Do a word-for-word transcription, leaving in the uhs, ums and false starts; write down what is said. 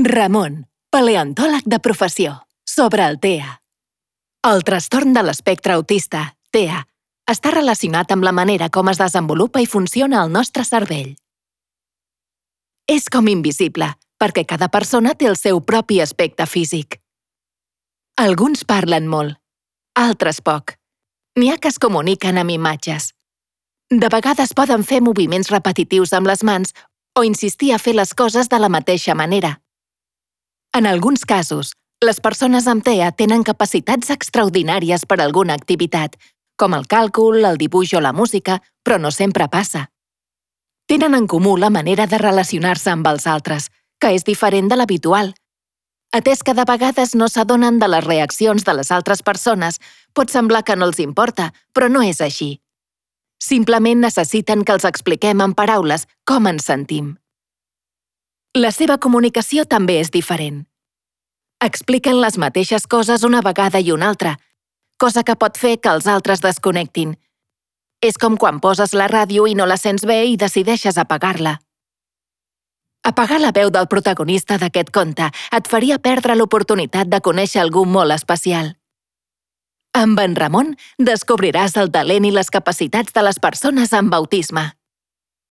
Ramon, paleontòleg de professió, sobre el T E A. El trastorn de l'espectre autista, T E A, està relacionat amb la manera com es desenvolupa i funciona el nostre cervell. És com invisible, perquè cada persona té el seu propi aspecte físic. Alguns parlen molt, altres poc. N'hi ha que es comuniquen amb imatges. De vegades poden fer moviments repetitius amb les mans o insistir a fer les coses de la mateixa manera. En alguns casos, les persones amb T E A tenen capacitats extraordinàries per a alguna activitat, com el càlcul, el dibuix o la música, però no sempre passa. Tenen en comú la manera de relacionar-se amb els altres, que és diferent de l'habitual. Atès que de vegades no s'adonen de les reaccions de les altres persones, pot semblar que no els importa, però no és així. Simplement necessiten que els expliquem en paraules com ens sentim. La seva comunicació també és diferent. Expliquen les mateixes coses una vegada i una altra, cosa que pot fer que els altres desconnectin. És com quan poses la ràdio i no la sents bé i decideixes apagar-la. Apagar la veu del protagonista d'aquest conte et faria perdre l'oportunitat de conèixer algú molt especial. Amb en Ramon descobriràs el talent i les capacitats de les persones amb autisme.